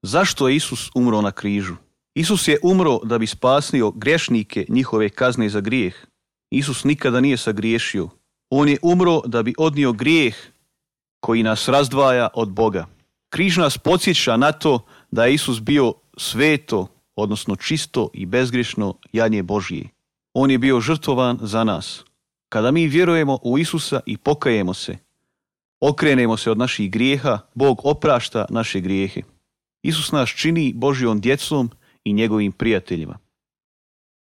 Zašto je Isus umro na križu? Isus je umro da bi spasio grešnike njihove kazne za grijeh. Isus nikada nije sagriješio. On je umro da bi odnio grijeh koji nas razdvaja od Boga. Križ nas podsjeća na to da je Isus bio sveto, odnosno čisto i bezgrešno janje Božje. On je bio žrtvovan za nas. Kada mi vjerujemo u Isusa i pokajemo se, okrenemo se od naših grijeha, Bog oprašta naše grijehe. Isus nas čini Božjom djecom i njegovim prijateljima.